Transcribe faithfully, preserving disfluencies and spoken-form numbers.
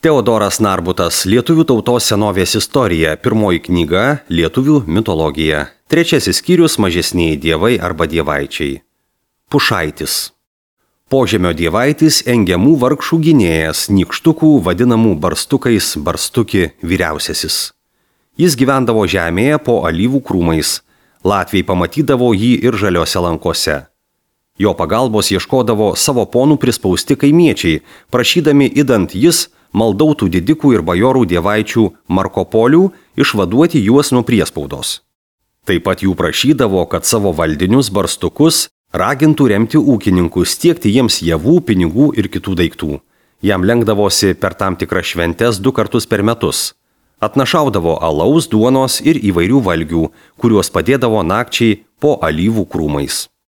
Teodoras Narbutas, Lietuvių tautos senovės istorija, pirmoji knyga, Lietuvių mitologija. Trečiasis skyrius, mažesnieji dievai arba dievaičiai. Pušaitis. Požemio dievaitis engiamų vargšų gynėjas, nykštukų vadinamų barstukais, barstuki vyriausiasis. Jis gyvendavo žemėje po alyvų krūmais. Latviai pamatydavo jį ir žaliose lankose. Jo pagalbos ieškodavo savo ponų prispausti kaimiečiai, prašydami idant jis maldautų didikų ir bajorų dievaičių Markopolių išvaduoti juos nuo priespaudos. Taip pat jų prašydavo, kad savo valdinius barstukus ragintų remti ūkininkus, tiekti jiems javų, pinigų ir kitų daiktų. Jam lenkdavosi per tam tikras šventes du kartus per metus. Atnašaudavo alaus, duonos ir įvairių valgių, kuriuos padėdavo nakčiai po alyvų krūmais.